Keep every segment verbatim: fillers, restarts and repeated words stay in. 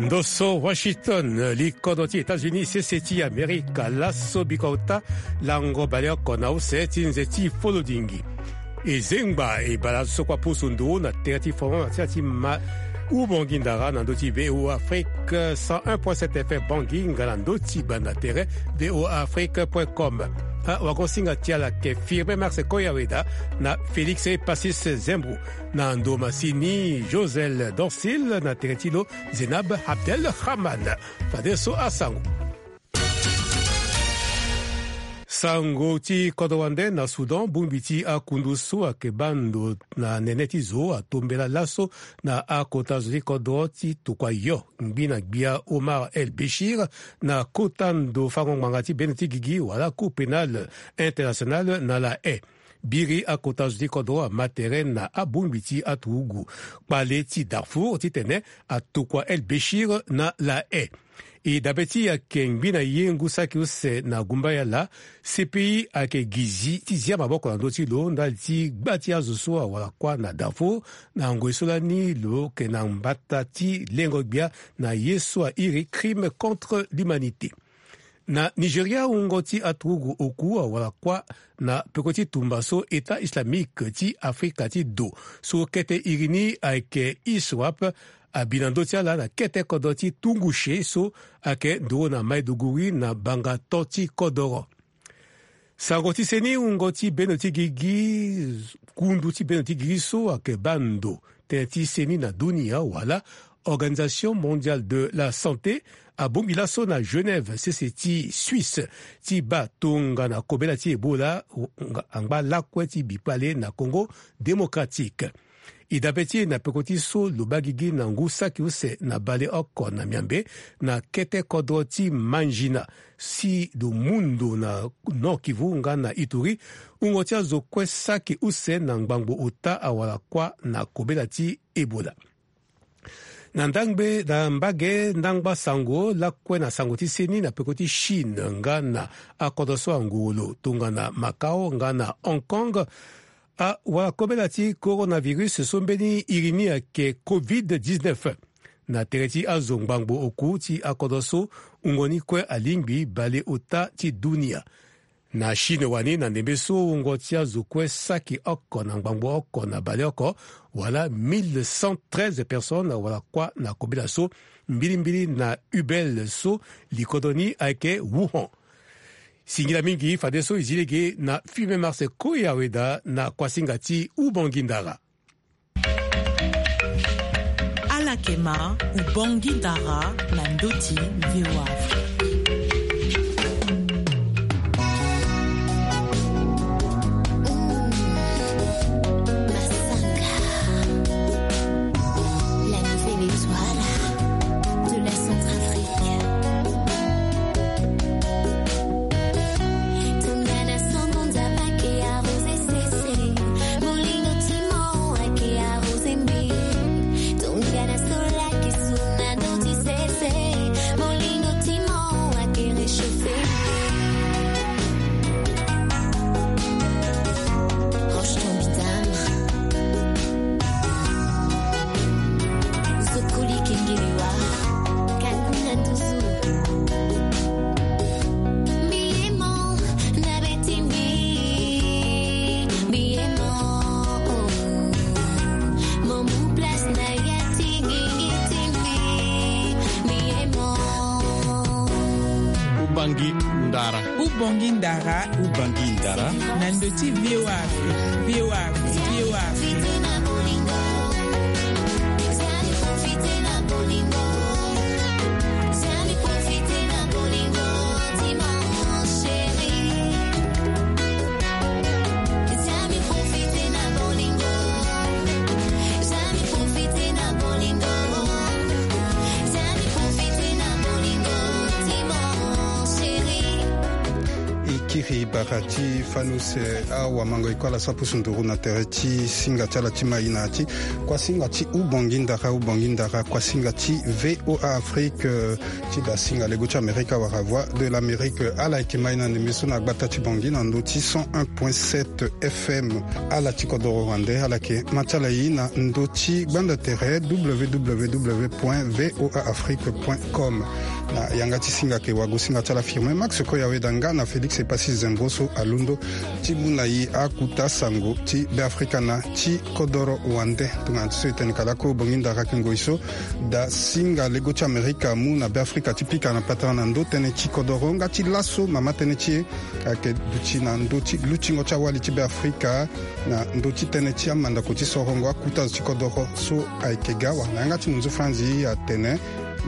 Ndo so Washington, likodro ti États-Unis, sese ti Amerika, laso biko ota lango baleoko na use ti nze ti folodingi. E zengba e bale azo so kue apusu ndo na tere ti foro na tere ti ma ubongi ndara na ndö ti V O A Afrique cent un point sept F M Bangui nga na ndö ti banda tere V O A Afrique point com. Awagosinga ti ala ayeke Firmin Marseco Yaweda na Félix Passis Zembro. Na ndo masini Josel Dorsil, na tere ti lo Zeinab Abdel Rahman. Fadeso asango. Sango ti kodro wande na Soudan, bongbi ti akundu so ayeke baa ndo na nene ti zo atombela laso na akota zo ti kodro ti tokua yo ngbi na gbia Omar El Béchir na kota ndo fango ngbanga ti bendo ti gigi wala Cour pénale internationale na La Haye. Biri akota zo ti kodro ama tere na abongbi ti aturugu kpale ti Darfour titene atokua El Béchir na La Haye. E dabe ti ayeke ngbi na ye ngu saki use na gumbaya laa, C P I ayeke gi zi ti zia maboko na ndö ti lo ndali ti gba ti azo so awara kuâ na Darfour na ngoi so lani lo yeke na mbata ti lengo gbia na ye so airi crime contre l'humanité. Na Nigeria, wungo ti aturugu oku awara kuâ na peko ti tumba so État Islamique ti Afrika ti Do so kete iri ni ayeke ISWAP abi na ndö ti ala na kete kodro ti Tungushe so ayeke nduru na Maiduguri na banga to ti kodoro. Sango ti seni, wungo ti bendo ti gigi, kundu ti bendo ti gigi so ayeke baa ndo tënë ti seni na dunia wala Organisation Mondiale de la Santé abongbi laso na Genève, sese ti Suisse, ti baa tongana kobela ti Ebola angba lakue ti bikpale na Congo Démocratique. E dabe ti e na peko ti so lo baa gigi na ngu saki use na bale oko na Miambe na kete kodro ti Manjina, si lo mu ndo na Nord Kivu nga na Ituri, wungo ti azo kue saki use na ngbangbo ota awara kuâ na kobela ti Ebola. Na ndangbe na mbage ndangba sango lakue na sango ti seni na peko ti Chine nga na akodro so anguru lo tongana Macao nga na Hong Kong, awara kobela ti coronavirus so mbeni iri ni ayeke covid dix-neuf. Na tere ti azo ngbangbo oku ti akodro so, wungo ni kue alingbi bale ota ti dunia. Na Chine wani, na ndembe so wungo ti azo kue saki oko na ngbangbo oko na baleoko, wala mille cent treize personnes awara kuâ na kobela so, mbilimbili na Hubei so likodro ni ayeke Wuhan. Singila mingi fadeso e zi lege na Firmin Marseco Yaweda na kuasinga ti Ubongi Ndara. Ala yeke ma Ubongi Ndara na ndö ti V O A Afrique. Ubangi ndara. Ubangi ndara. Ubangi ndara. Na ndö ti V O A Afrique. V O A Afrique. V O A Afrique. E kiri Ndara ti fanu se awamango e ko ala sapu sunduru na tere ti singa ti ala ti mai na ya ti kuasinga ti Ubongi Ndara, Ubongi Ndara, kuasinga ti V O A Afrique, euh, ti da singa lego ti Amerika wala Voix de l'Amérique. Ala yeke mai na ndembe so na gbata ti Bangui na ndö ti cent un point sept F M. Ala ti kodoro wande, ala yeke ma ti ala ye na ndö ti gbanda tere W W W point V O A Afrique point com. Na yanga ti singa ayeke wagosinga ti ala Firmin Max Koyaweda nga na Félix Epassi Zembo so alondo ti mu na e akuta sango ti Beafrika na ti kodoro wande. Tongana ti so e tene ka lakue, Ubongi Ndara ayeke ngoi so da singa lego ti Amerika amu na Beafrika ti pika na patara na ndö tënë ti kodoro. Nga ti laso mama tënë ti e ayeke duti na ndö ti lutingo ti awali ti Beafrika na ndö ti tënë ti amandako ti sorongo akuta zo ti kodoro so ayeke ga wala na yanga ti munzu franzi atene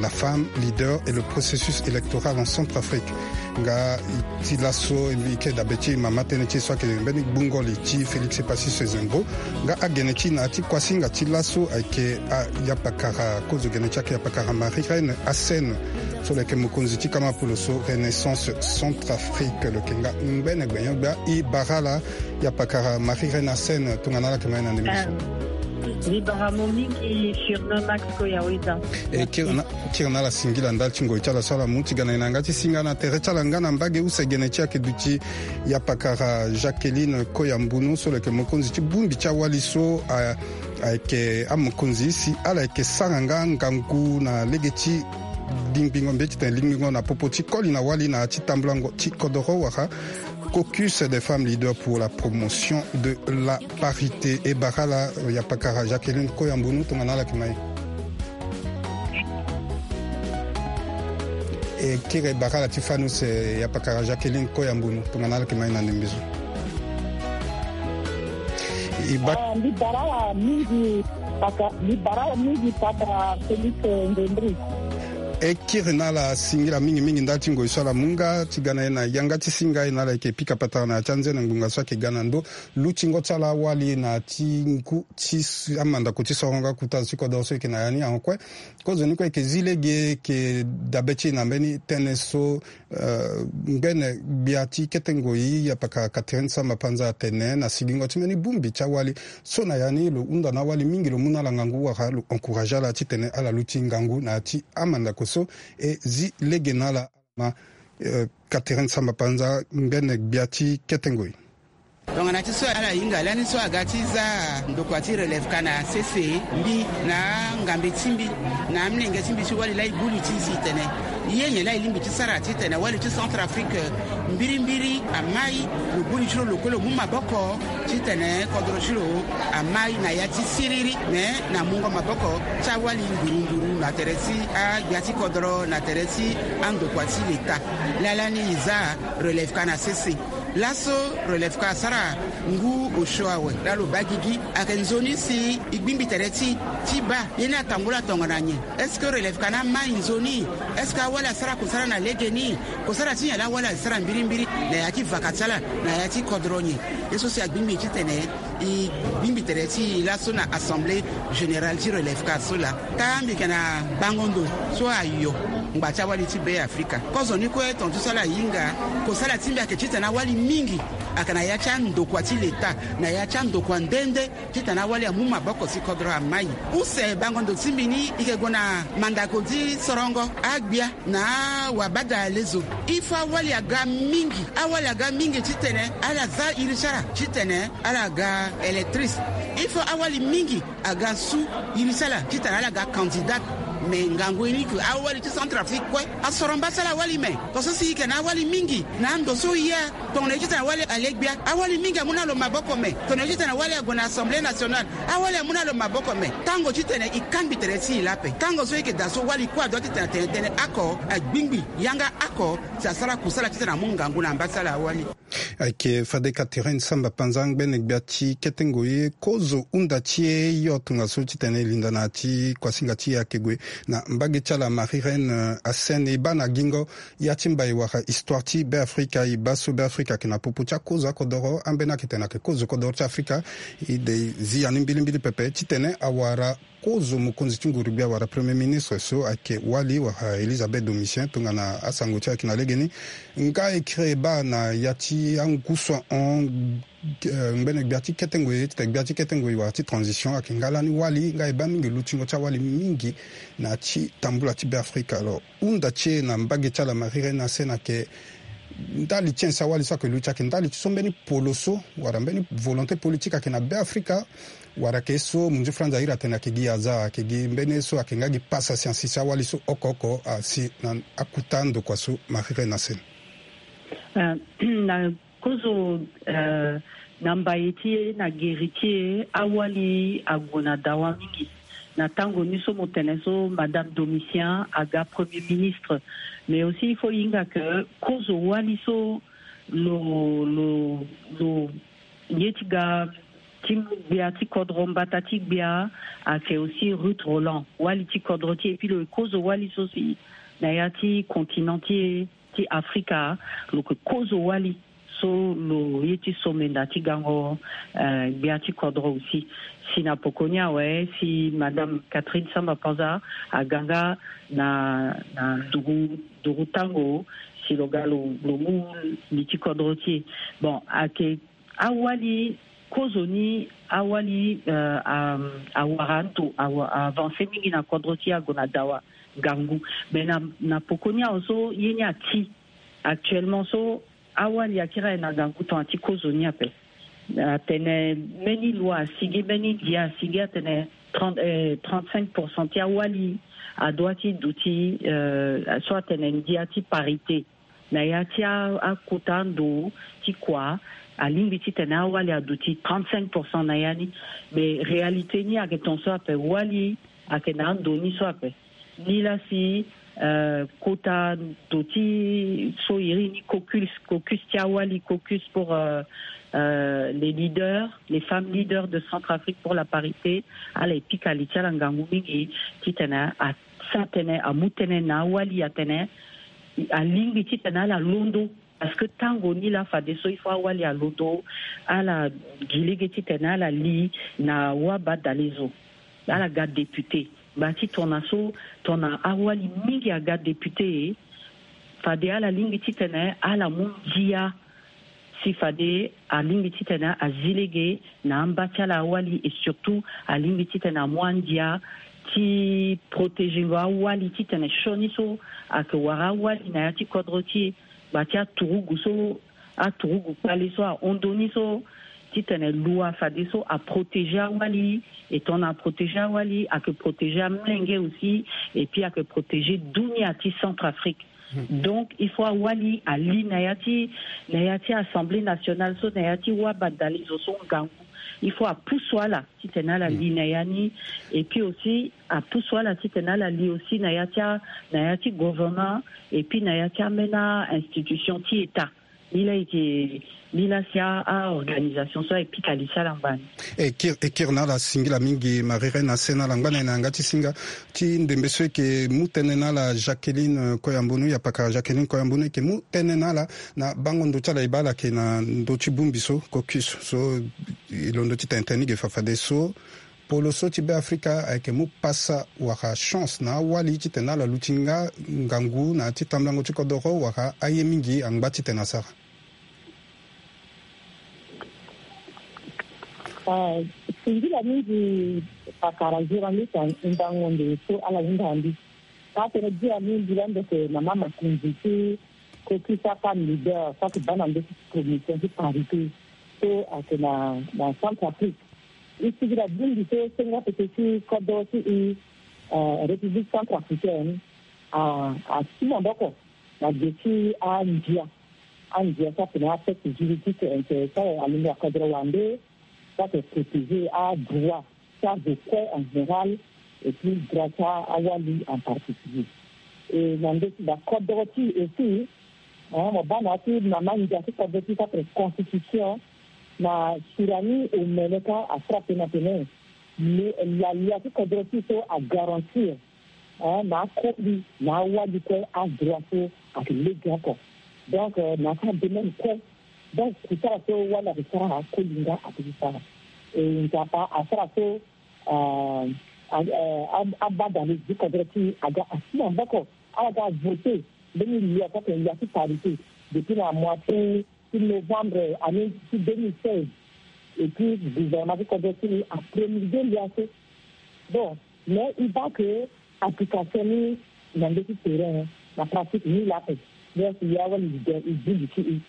La femme leader et le processus électoral en Centrafrique. Nga ti laso e yeke dabe ti mama tënë ti e so ayeke mbeni gbungo li ti Félix Epassi Zembo. Nga agene ti e na ya ti kuasinga ti laso ayeke, a, yapakara, kozo gene ti e ayeke yapakara Marie Reine Hassen so lo yeke mokonzi ti kama polo so Renaissance Centrafrique. Lo yeke nga ngbene gbenyo-gbia. E bara ala yapakara Marie Reine Hassen, tongana ala yeke ma e na ndembe so. Ah, mbi bara mo mingi Firmin Max Koyaweda. E kiri na, kiri na ala singila ndali ti ngoi ti ala so ala mu ti ga na e na yanga ti singa na tere ti ala nga na mbage use gene ti e ayeke duti yapakara Jacqueline Koyambunu so lo yeke mokonzi ti bongbi ti awali so a, ayeke amokonzi si ala yeke sara nga ngangu na lege ti lingbingo, mbi ye ti tene lingbingo na popo ti koli na wali na ya ti tambulango ti kodoro wala Caucus des femmes leaders pour la promotion de la parité. E bara ala yapakara Jacqueline Koyambunu, tongana ala yeke ma e. E kiri e bara ala ti fanu se yapakara Jacqueline Koyambunu, tongana ala yeke ma e na ndembe so. E ba- Ah, mbi bara ala mingi, paka, mbi bara ala mingi, paka Félix Ndembri. E kiri na ala singila mingi mingi ndali ti ngoi so ala mu nga ti ga na e na yanga ti singa. E na ala yeke pika patara na ya ti anzene ngbonga so ayeke ga na ndö lutingo ti ala awali na ya ti ngu ti s-, amandako ti sorongo akuta zo ti kodoro so e yeke na ya ni. Ahon kue, kozoni kue e yeke zi lege, e yeke dabe ti e na mbeni tënë so, eh, ngbene gbia ti kete ngoi yapakara Catherine Samba Panza atene na sigingo ti mbeni bongbi ti awali so na ya ni lo hunda na awali mingi, lo mu na ala ngangu wala lo encourage ala titene ala luti ngangu na ya ti amandako so. E zi lege na ala ma, eh, Catherine Samba Panza, ngbene gbia ti kete ngoi. Tongana ti so ala hinga lani so aga ti za ndokua ti Relève Ka na sese, mbi na angambe ti mbi na amolenge ti mbi ti wali laa e gbu li ti zi tene ye nyen laa e lingbi ti sara titene wali ti Centrafrique mbirimbiri amai, lo gbu li ti lo, lo kue lo mu maboko titene kodoro ti lo amai na ya ti siriri, me na mungo maboko ti awali ngurunguru na tere ti agbia ti kodoro na tere ti andokua ti leta. Laa lani e za Relève Ka na sese. Laso Relève Ka asara ngu osio awe laa lo baa gigi. Ayeke nzoni si e gbingbi tere ti e ti baa ye ni atambula tongana nyen. Est-ce que Relève Ka ni amai nzoni? Est-ce que awali asara kosara na legeni? Kosara ti nyen laa awali asara mbirimbiri na ya ti vaka ti ala na ya ti kodro nyen? Ye so si agbingbi titene e gbingbi tere ti e laso na Assemblée Générale ti Relève Ka so laa. Taa mbi yeke na bango ndo so ayo ngba ti awali ti Be Afrika. Kozoni kue tonga ti so ala hinga, kosala ti mbi ayeke titene awali mingi ayeke na ya ti andokua ti leta, na ya ti andokua nde nde, titene awali amu maboko si kodro amai. Use bango ndo ti mbi ni e yeke gue na mandako ti sorongo agbia na wabadalezo. Il faut awali aga mingi, awali aga mingi titene ala za iri ti ala titene ala ga électrice. Il faut awali mingi aga su iri ti ala titene ala ga candidate. Me ngangu ye ni ke awali ti Centrafrique kue asoro mba ti ala awali me. Tonga so si e yeke na awali mingi na ando so e ya, tongana ye titene awali ale gbia, awali mingi amu na lo maboko me. Tongana ye titene awali ague na Assemblée Nationale, awali amu na lo maboko me. Tango titene e kangbi tere ti e laa ape, tango so e yeke daa so wali kue adoit titene atene tënë oko, agbingbi yanga oko si asara kusala titene amu ngangu na mba ti ala awali. Ayeke fade Catherine Samba Panza, ngbene gbia ti kete ngoi, kozo hunda ti e yo tongaso titene e linda na ya ti kuasinga ti e ayeke gue na mbage ti ala Marie Reine, eh, Hassen. E baa na gingo ya ti mbai wala histoire ti Be Afrika, e baa so Be Afrika ayeke na popo ti akozo akodoro, ambeni ayeke tene ayeke kozo kodoro ti Afrika. E de zi ya ni mbilimbili pepe titene awara kozo mokonzi ti nguru-gbia wala Premier Ministre so ayeke wali wala Elisabeth Domitien tongana asango ti e ayeke na legeni. Nga e kiri e baa na ya ti Ngu so ahon, eh, ngbene gbia ti kete ngoi, ti tene gbia ti kete ngoi wala ti transition ayeke nga lani wali, nga e baa mingi lutingo ti awali mingi na ya ti tambula ti Beafrika. Alors, hunda ti e na mbage ti ala Marie Reine Nassen ayeke ndali ti en si awali so ayeke luti ayeke ndali ti so mbeni polo so wala mbeni volonté politique ayeke na Beafrika, wala ayeke so munzu franza iri atene ayeke gi hasard, ayeke gi mbeni ye so ayeke nga gi pasa si asi si awali so oko oko asi na akuta ndokua so Marie Reine Nassen. Eh, na kozo, eh, na mbaye ti e, na gere ti e, awali ague na dawa mingi. Na tango ni so mo tene so Madame Domitien aga Premier Ministre. Mais aussi il faut hinga que kozo wali so lo, lo, lo ye ti ga ti mu gbia ti kodro, mbata ti gbia, ayeke aussi Ruth Roland, wali ti kodro ti e. Puis lo yeke kozo wali so si na ya ti continent ti e ti Afrika, lo yeke kozo wali so lo ye ti somenda ti gango, eh, gbia ti kodro aussi. Si na poko ni awe, si Madame Catherine Samba Panza aga nga na, na nduru, nduru tango, si lo ga lo, lo mu li ti kodro ti e. Bon, ayeke awali, kozoni awali, eh, a, awara ndo, awa, a avancer mingi na kodro ti e, ague na dawa ngangu. Mais na, na poko ni awe so ye ni ati actuellement so, awali akiri aye na ngangu tongana ti kozoni ape. Atene mbeni loi asi gi, mbeni ndia asi gi, atene trente, eh, trente-cinq pour cent ti awali adoit ti duti, eh, so atene ndia ti parité. Na ya ti a, akota ndo ti kua, alingbi titene awali aduti trente-cinq pour cent na ya ni. Mais réalité ni ayeke ton so ape, wali ayeke na ando ni so ape. Ni laa si, eh, kota ndo ti so iri ni caucus, caucus ti awali, caucus pour, euh, euh, les leaders, les femmes leaders de Centrafrique pour la parité, ala e pika li ti ala ngangu mingi titene a, sa tënë, amu tënë na awali atene alingbi titene ala londo. Parce que tango ni laa fadeso il faut awali alondo, ala gi lege titene ala li na wabadalezo, ala ga député. Ngba ti tongana so, tongana awali mingi aga député, fade ala lingbi titene ala mu ndia. Si fade alingbi titene azi lege na amba ti ala awali, et surtout alingbi titene amu andia ti protéger ngo awali titene sioni so ayeke wara awali na ya ti kodro ti e. Ngba ti aturugu so, aturugu kpale so ahon ndo ni so, titene loi fadeso aprotéger awali, et tongana aprotéger awali, ayeke protéger amolenge aussi, et puis ayeke protéger dunia ti Centrafrique. Donc il faut awali ali na ya ti, na ya ti Assemblée nationale so, na ya ti wabadalezo so ngangu. Il faut apusu ala titene ala li na ya ni. Et puis aussi apusu ala titene ala li aussi na ya ti a, na ya ti gouvernement, et puis na ya ti ambeni a-institution ti État. Ni laa e yeke, ni laa si a, a-organisation so aye pika li ti ala ngbani. E kiri, e kiri na ala singila mingi Marie Reine Nassen, na ala ngbani na yanga ti singa ti ndembe so e yeke mu tënë na ala Jacqueline, euh, Koyambonu, yapakara Jacqueline Koyambonu, e yeke mu tënë na ala na bango ndo ti ala e baa ala yeke na ndö ti bongbi so, caucus so, e londo ti tene tënë ni ge fa fadeso polo so ti Beafrika ayeke mu pasa wala chance na awali titene ala luti nga ngangu na ya ti tambulango ti kodoro wala aye mingi angba titene asara. Ah, singila mingi pakara journaliste, a hunda ngo ndo so ala hunda andi. Ka tene dia mingi laa ndo yeke mama mokonzi ti caucus ti a-femme leader so ayeke baa na ndö ti commission ti parité so ayeke na, na Centrafrique. E singila bongbi so sengo ape ti kodro ti e, eh, République centrafricaine, a, asi maboko na ge ti andia, andia so ape na a-texte juridique, eh, so alingbi akodro wande, so ayeke protéger adroit ti azo kue en général, et puis droit ti awali en particulier. Et na ndö ti bakodro ti e aussi, eh, mo baa na ya ti mama ndia ti kodro ti e so ape constitution, na sura ni omene ka asara tënë atene, le, lalia ti kodro ti e so agarantir, eh, na akoli na awali kue adroit so ayeke lege oko. Donc, eh, na ya ti adomaine kue, donc kusara so wali ayeke sara, akoli nga ayeke sara. E Nzapa asara so, ah, ah, eh, a, abadalezo ti kodro ti e aga asi maboko, ala ga voter mbeni loi so ayeke loi ti parité depuis na mois ti ti novembre année ti deux mille seize. Et puis gouvernement ti kodro ti e apromulgué loi so. Bon, mais e baa ke application ni na ndö ti terrain, na pratique ni laa ape. Donc e awali e bongbi ti e.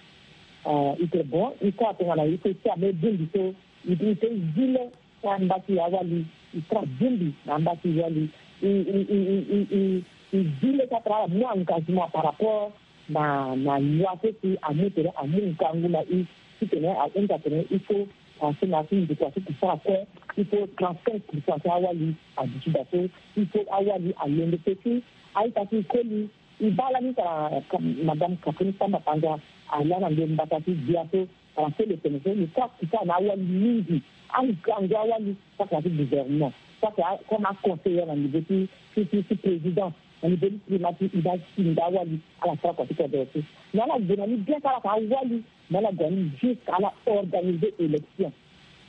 E tene bon, e kue atongana e so e ti ame bongbi so, e peut zi le ti amba ti e awali, e tra bongbi na amba ti e wali. E e e e e e e zi le ti atara ala mu engagement par rapport na na loi so si amu tene amu ngangu na e titene ahunda tene il faut, ah, si na si ndokua so kusala kue, il faut trente-cinq pour cent ti awali aduti daa so. Il faut awali alondo pe ti a-ita ti e koli. E baa lani tara madame Catherine Samba Panza alaa na ndo mbata ti gbia so. Parce que le tene so ni kue akita na awali mingi. Angangu awali saki na ti gouvernement, saki comme aconseiller na niveau ti ti ti présidence, na niveau ti primati, e baa ti nda awali ala sara kua ti kodro so. Na ala gue na ni bien ka ala ka awali, na ala gue na ni jusqu'à ala organiser élection.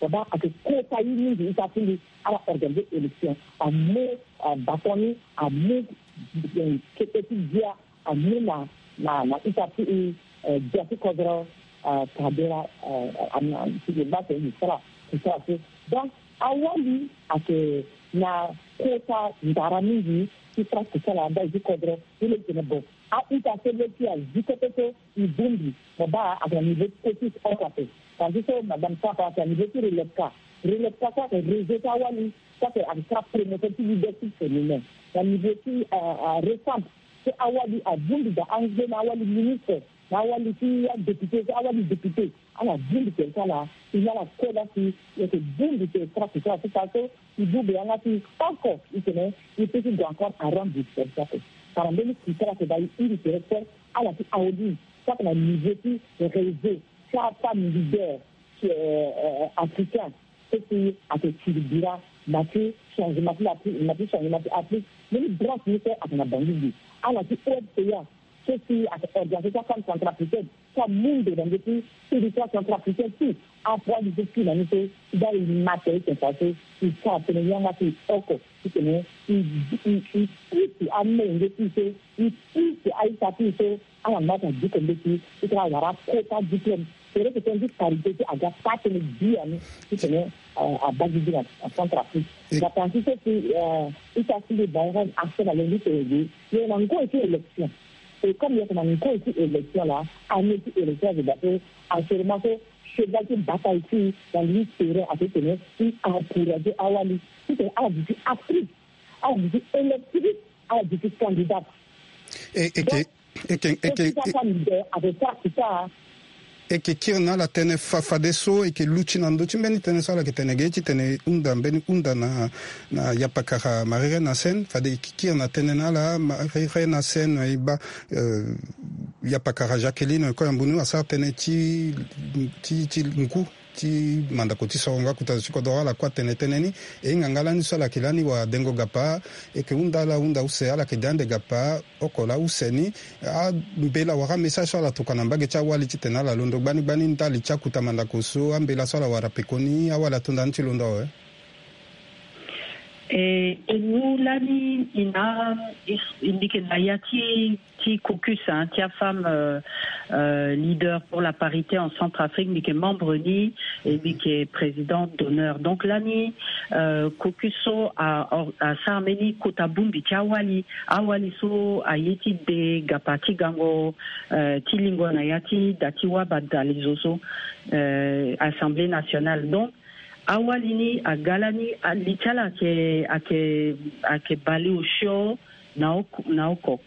Baba ake kota ye mingi ita ti mbi ala organiser élection. Amu, ah, bâton ni, amu, eh, kete ti gbia, amu na na na ita ti e, eh, gbia ti kodro, eh, tadera, eh, ana ti e baa tene e sara e sara so. Donc awali ake na kota ndara mingi ti sara kusala ndali ti kodro. Ti le tene bon, a-ita so le ti azi kete so e bongbi, mo baa ake na niveau ti cotis oko ape. Tandis so madame Sapa ake na niveau ti Relepka. Relepka so ake réseau ti awali so ake ake sara promotion ti leadership féminin na niveau ti, eh, eh, récente. So awali abongbi daa angbeni awali ministre, na awali ti adéputé, so awali député. Ala bongbi tene so ala, e na ala kue laa si e yeke bongbi tene sara kusala so, parce que e bongbi yanga si oko e tene e peut ti gue encore arendre distance ape. Tara mbeni kusala so daa e iri tene so ala ti aoli so ake na niveau ti réseau ti afemme leader, eh, eh, africain. So si ake tiri bira na ti changement ti l'Afrique, na ti changement ti Afrique. Mbeni branche ni so ake na Bangui gi ala ti O F C A. So si ake organisation ti afemme centrafricaine so amu ndo na ndö ti territoire centrafricain ti. Apo andi so ti na ni so e baa e ma tene e tene fa so e sara tënë yanga ti e oko titene e e e pusu amolenge ti e so e pusu a-ita ti e so ala ngba ti aduko mbeti ti tara awara akota diplôme. Tere yeke tënë ti parité ti aga pâ tënë gbia ni titene, eh, abaa gigi na Centrafrique. Nga tanga ti so si, eh, ita ti mbi Bayern Arsenal alingbi ti tene ge, e yeke na ngoi ti élection. Et comme e yeke na ngoi ti élection laa, année ti élection ayeke daa so, actuellement so cheval ti bataille ti e na li ti terrain ayeke tene e encourager awali titene ala duti actrice, ala duti électrice, ala duti candidate. E e ke Donc, e ke e ke e ke e ke kiri na ala tënë fa fadeso e ke luti na ndö ti mbeni tënë so ala yeke tene ge titene e hunda mbeni hunda na na yapakara Marie Reine Hassen. Fade e ke kiri na tënë na ala Marie Reine Hassen, e baa, eh, yapakara Jacqueline Koyambunu asara tënë ti ti ti ngu ti mandako ti sorongo akuta zo ti kodoro, ala kue atene tënë ni. E hinga nga lani so ala yeke lani wadengo gapa, e yeke hunda ala hunda use, ala yeke de ande gapa oko laa use ni. Ambela wala amessage so ala tokua na mbage ti awali titene ala londo gbani gbani ndali ti akuta mandako so, ambela so ala wara pekoni, awali ato nda ni ti londo awe. E e mu lani e na e mbi yeke na ya ti ti caucus, hein, ti afemme, euh, euh, leader pour la parité en Centrafrique, mbi yeke membre ni, e mbi yeke présidente d'honneur. Donc lani, euh, caucus so a a asara mbeni kota bongbi ti awali, awali so aye ti de gapa ti gango, euh, ti lingo na ya ti da ti wabadalezo so, euh, Assemblée nationale. Donc awali ni aga lani, a li ti ala ayeke ayeke ayeke baleosio na oko na oko.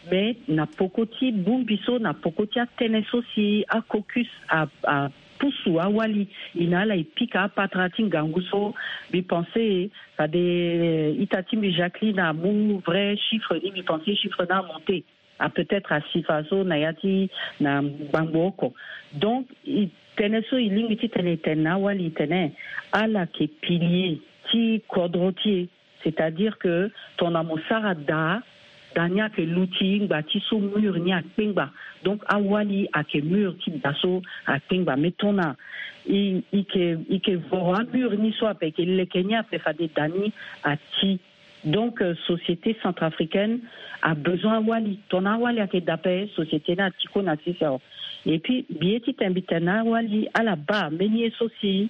Mais na poko ti bongbi so, na poko ti atënë so si acaucus a a pusu awali, e na ala e pika apatara ti ngangu so. Mbi pense fade, eh, ita ti mbi Jacqueline amu vrai chiffre ni, mbi pense chiffre ni amonte. A peut-être asi fa so na ya ti na ngbangbo oko. Donc e tënë so e lingbi titene e tene na awali e tene ala yeke pilier ti kodro ti e. C'est-à-dire que tongana mo sara daa, da ni ayeke luti ngba ti so mur ni akpengba. Donc awali ayeke mur ti da so akpengba. Mais tongana e e yeke e yeke voro amur ni so ape, e yeke leke ni ape, fade da ni ati. Donc, euh, société centrafricaine a besoin awali. Tongana awali ayeke daa ape, société ni ati kue na sese awe. Et puis, mbi ye ti tene mbi tene na awali ala baa mbeni ye so si,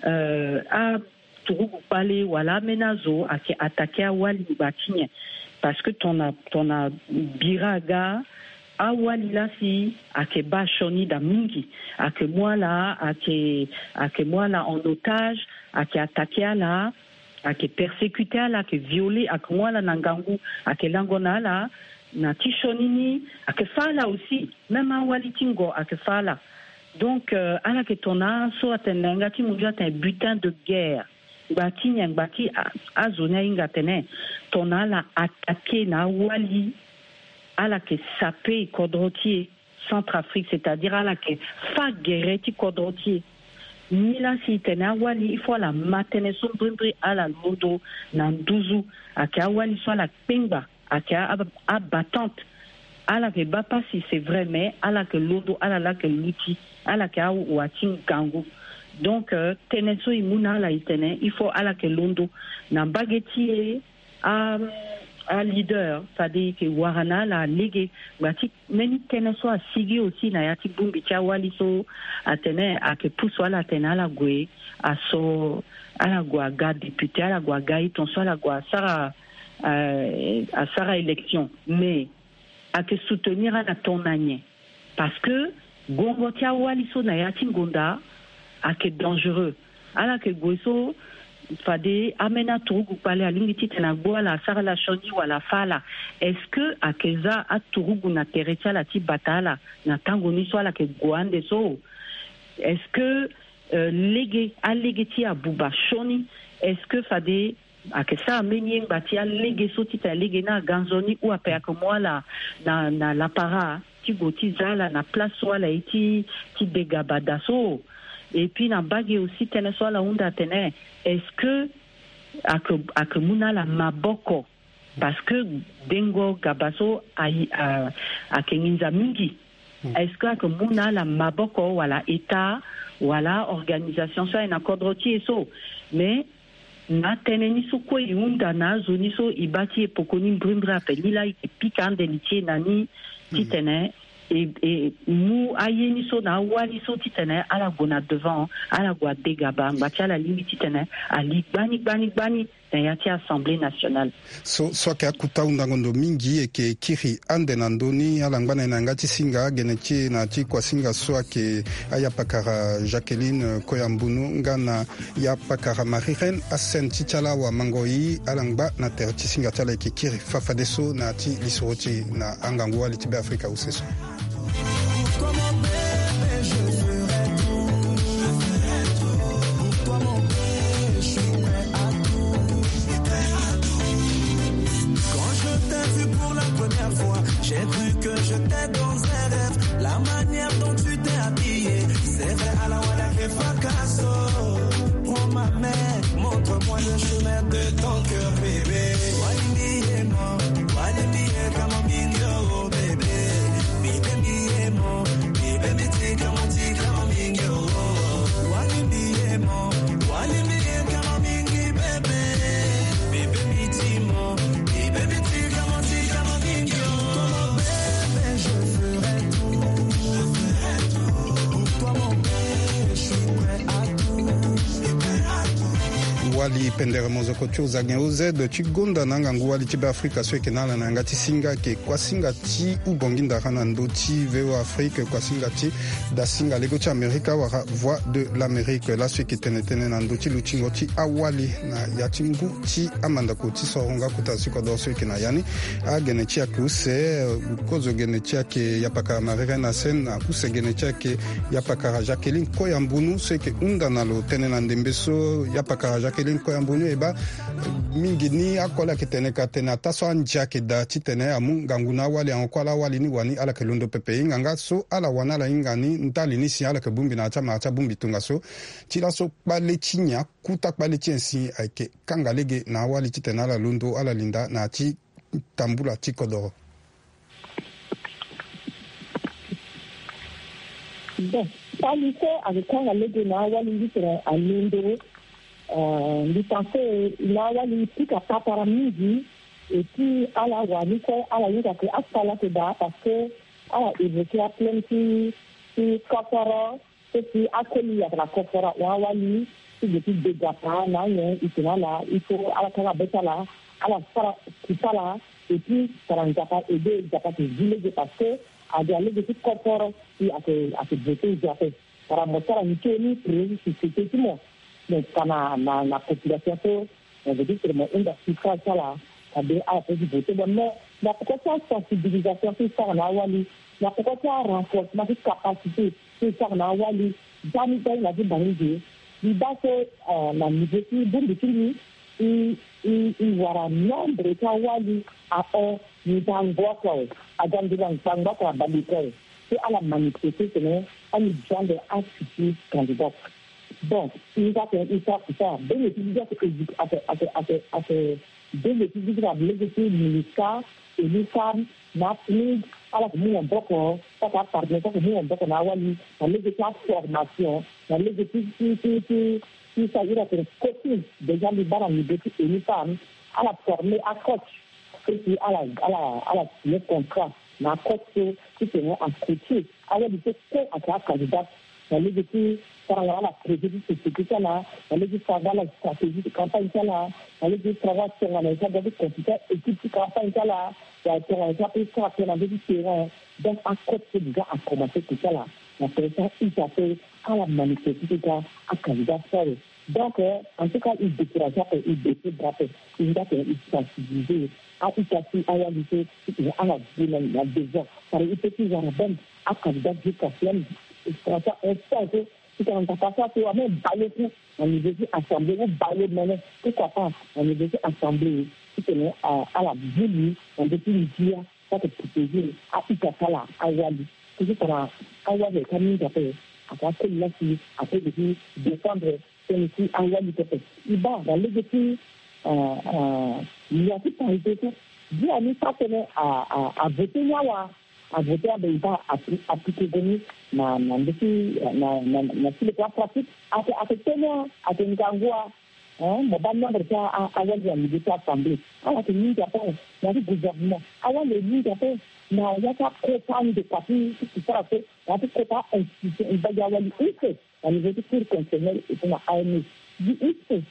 euh, aturugu kpale wala ambeni azo ayeke attaqué awali ngba ti nyen. Parce que tongana, tongana bira aga, awali laa si ayeke baa sioni daa mingi. Ayeke mu ala, ayeke, ayeke mu ala en otage, ayeke attaqué ala, ayeke persécuté ala, ayeke violé, ayeke mu ala na ngangu, ayeke lango na ala na ti sioni ni, ayeke fâ ala aussi. Même awali ti ngo ayeke fâ ala. Donc, euh, ala yeke tongana so atene na yanga ti mundu atene butin de guerre. Ngba ti nyen? Ngba ti a-, azo ni ahinga atene tongana ala attaqué na awali, ala yeke sapé kodro ti e, Centrafrique, c'est-à-dire ala yeke fâ gere ti kodro ti e. Nilaa si e tene awali, il faut ala ma tënë so mbrimbri, ala londo na nduzu. Ayeke awali so ala kpengba, ayeke a-, a-, abattante. Ala yeke baa pasi, c'est vrai, mais ala yeke londo, ala laa yeke luti, ala yeke awa ti ngangu. Donc, euh, tënë so e mu na ala, e tene il faut ala yeke londo na mbage ti e, a, aleader, c'est-à-dire e yeke wara na ala lege. Ngba ti mbeni tënë so asigi aussi na ya ti bongbi ti awali so atene ayeke pusu ala atene ala gue aso, ala gue aga député, ala gue aga e ton so ala gue asara, euh, asara élection. Mais ayeke soutenir ala tongana nyen? Parce que guongo ti awali so na ya ti ngonda ayeke dangereux. Ala yeke gue so fade ambeni aturugu kpale alingbi titene agbu ala, asara ala sioni wala afâ ala. Est-ce que ayeke za aturugu na tere ti ala ti bata ala na tango ni so ala yeke gue ande so? Est-ce que, euh, lege, alege ti abuba sioni, est-ce que fade ayeke sara mbeni ye ngba ti alege so titene lege ni aga nzoni, ou ape ayeke mu ala na, na lapara ti gue ti za ala na place so ala ye ti, ti degaba daa so? Et puis na mbage aussi tënë so ala hunda atene, est-ce que ayeke, ayeke mu na ala maboko? Parce que dengo gaba so ayi, a, ayeke nginza mingi. Est-ce que ayeke mu na ala maboko wala État wala organisation so aye na kodro ti e so? Mais na atënë ni so kue e hunda na azo ni so e baa ti e poko ni mbrimbri ape, ni laa e yeke pika ande li ti e na ni titene e, e mu aye ni so na awali so titene ala gue na devant, ala gue adegaba ngba ti ala lingbi titene ali gbani gbani gbani na ya ti Assemblée nationale. So, so ayeke akota hundango ndo mingi, e yeke kiri ande na ndö ni. Ala ngba na e na yanga ti singa, gene ti e na ya ti kuasinga so ayeke ayapakara Jacqueline Koyambunu nga na yapakara Marie-Reine Hassen ti ti ala awamango-i. Ala ngba na tere ti singa ti ala, e yeke kiri fafadeso na ya ti lisoro ti e na angangu wali ti Beafrika use so. Pourquoi mon bébé, je ferai tout, je ferai tout. Pourquoi mon bébé, je suis prêt à tout, je suis prêt à tout. Quand je t'ai vu pour la première fois, j'ai cru que j'étais dans un rêve. La manière dont tu t'es habillée, c'est vrai, ala wala ke fracasso. Prends ma main, montre-moi le chemin de ton cœur, bébé. Why me, yeah, ma? Why me, yeah, come on, me, yo, bébé? Wali pendere mozoko ti ozagen oz ti gonda na angangu wali ti Beafrika so eke na ala na yanga ti singa, eke kuasinga ti Ubongi Ndara na ndö ti V O A Afrique, kuasinga ti dasinga lego ti Amerika wala Voix de l'Amérique. Laso eke tene tënë na ndö ti lutingo ti awali na ya ti ngu ti amandako ti soro nga kota ti kodoro so eke na ya ni. Agene ti ayeke use, eh, kozo gene ti ayeke yapakara Marie Reine Hassen, na use gene ti ayeke yapakara Jacqueline Koyambunu so eke hunda na lo tënë na ndembe so. Yapakara Jacqueline Koyambunu, e baa mingi ni akoli ayeke tene ka tene ataa so andia ayeke daa titene amu ngangu na awali, ahon kue ala awali ni wani ala yeke londo pepe. Hinga nga so ala wani ala hinga ni ndali ni si ala yeke bongbi na ya ti amara ti abongbi tongaso. Ti laso kpale ti nyen, akuta kpale ti nyen si ayeke kanga lege na awali titene ala londo, ala linda na ya ti tambula ti kodoro? Bon, kpale so ayeke kanga lege na awali titene alondo Mbi pense na awali pika patara mingi. Et puis ala wani so ala hinga ke asala ke daa parce que ala évoquer aplainte ti ti koforo. So si akoli yaka na koforo na awali ti de ti degapa na anyen ite na ala il faut ala kanga be ti ala. Ala sara kuta ala et puis tara nzapa ede nzapa ti zi lege parce que ade alege ti koforo si ake ake vote nzapa. Tara mo sara nike ni prévu si sete ti mo. Mais kana na na population so na veut dire mo hunda suffrage ti ala. Abe ala pe ti vote bon mais na poko ti asensibilisation ti sara na awali na poko ti arenforcement ti capacité ti sara na awali. Dani dani na ti bangi ge. Mbi baa so na niveau ti bongbi ti mbi i i i wara nombre ti awali ahon. Nzango oko awe aga nzila nzango oko abali oko awe. So ala manifeste tene ani biande afutur candidat. Bon, i nga tene i sara ti sara beni ti biso ake ake ake ake ake beni ti biso na lege ti MINUSCA, ENUFAM, na PNUD. Ala ko mu maboko saka apartner saka mu maboko na awali na lege ti aformation na lege ti ti ti ti ti sa ira tene coaching. Déjà mbi baa na niveau ti ENUFAM ala former acoach. Eti ala ala ala signer contrat na acoach so ti tene acoacher awali so kue ake acandidat na lege ti sara nga ala projet ti société ti ala na lege ti sara nga ala stratégie ti campagne ti ala na lege ti sara nga ala tongana eti aga ti consulter équipe ti campagne ti ala wala tongana eti ape ti sara tënë na ndö ti terrain. Donc acoach so déjà akomanse ke ti ala na tene ti ahita so ala manifeste ti ga acandidat ti awe. Donc en tout cas i décourage ape i décourage ape. I nga tene i sensibiliser ahita ti awali so ti tene ala gue na na devant. Par i pe ti wara bene acandidat jusqu'à semaine. Franchement un temps so ti tene nzapa so ake wamene baleku na niveau ti assemblée ou baleku mene pourquoi pas na niveau ti assemblée ti tene ala vuli na ndö ti ndia. Saka protéger ahita ti ala awali. Ti tene awali ayeke amingi ape. Ake akoli lasi ape de ti défendre tënë ti awali pepe. I baa na lege ti ya ti parité so biani so atene avote ni awa. Avote abe i baa appliquer go ni na na ndö ti na na na ti le plan pratique. Ake ake tene ake ngangu a. Mo baa nombre ti awali na niveau ti assemblée. Ala yeke mingi ape na ya ti gouvernement. Awali e mingi ape na ya ti akota ndokua ti ti sara so na ya ti kota institution e baa gi awali use na niveau ti cour constitutionnel et puis na A M S. Gi use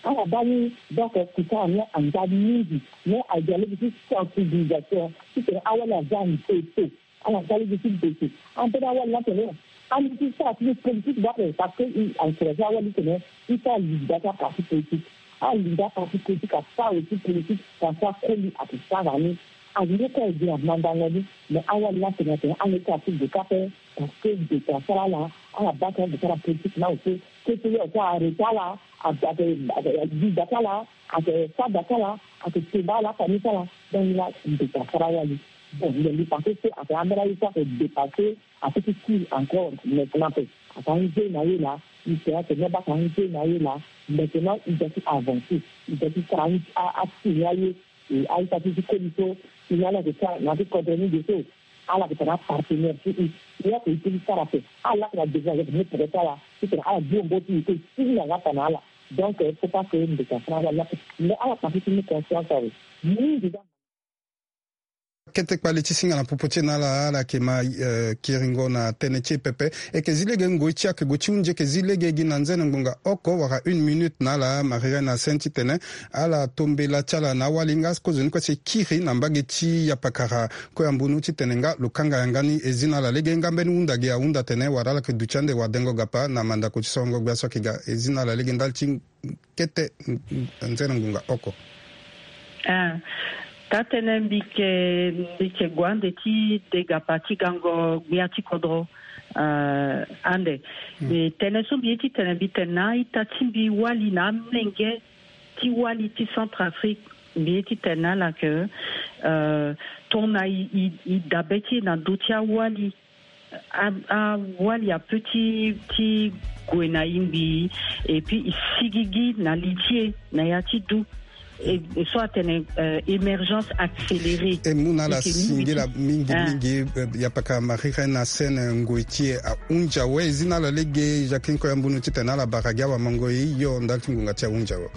ala baa ni. Donc kusala ni anga mingi. Mais agi alege ti sensibilisation ti tene awali aza ndoto. Ala sara lege ti beke ambeni awali ni atene. Ani ti sara ti ni politique bake parce que i encourage awali tene i sara linda ti aparti politique. Alinda aparti politique asara aussi politique parce que akoli ake sara ni. Alinda ti aye gi na mandango ni. Mais awali ni atene atene ala ye ti aye ti doka ape. Parce que doka asara ala ala baa ti ala doka na politique na oso. Kete ye oso arrêté ala ake ake ake gi daka ala ake fa daka ala ake tomba ala afa ni ti ala. Donc la doka asara awali. Bon, mbi mbi pensé so ake ambeni aye so ake dépasser. Ape ti court encore maintenant pe ake anzoi na ye laa. Mbi tene ake mê baa ake anzoi na ye laa. Maintenant i da ti avancer. I da ti sara ati ni aye. E aye ti ati ti koli so i na ala yeke sara na ya ti kodro ni ge so. Ala yeke tene apartenaire ti i. Ni ake i ti sara ape ala yeke na devant yeke mu pere ti ala. Ti tene ala gi wongo ti i so i sigi na nga fa na ala. Donc faut pas que mbi tene asara ala ni ape. Mais ala pensé ti mu conscience awe. Mingi. Kete kpale ti singa na popo ti e na ala ala yeke ma kiringo na tënë ti e pepe. E yeke zi lege ngoi ti e ayeke gue ti hunzi e yeke zi lege gi na nzene ngbonga oko wala une minute na ala marie-reine asene titene ala to mbela ti ala na awali nga kozoni kue si e kiri na mbage ti yapakara. Kue ambunu titene nga lo kanga yanga ni e zi na ala lege nga mbeni hunda ge ahunda atene wala ala yeke duti ande wadengo gapa na mandako ti sorongo gbia so ayeke ga e zi na ala lege ndali ti kete nzene ngbonga oko. Ah, taa tënë mbi yeke mbi yeke gue ande ti degapa ti gango gbia ti kodro. Ah, ande. Mais tënë so mbi ye ti tene mbi tene na a-ita ti mbi wali na amolenge ti wali ti Centrafrique. Mbi ye ti tene na ala ke tongana i i dabe ti e na ndö ti awali awali ape ti ti gue na e ngbii. Et puis e sigigi na li ti e na ya ti du. Et soit une euh, émergence accélérée. E mu na ala singila mingi mingi. Yapaka Marie Reine Assène, ngoi ti e ahunzi awe. E zi na ala lege Jacqueline Koyambunu titene ala bara gi awamangoi yo ndali ti ngonga ti ahunzi awe.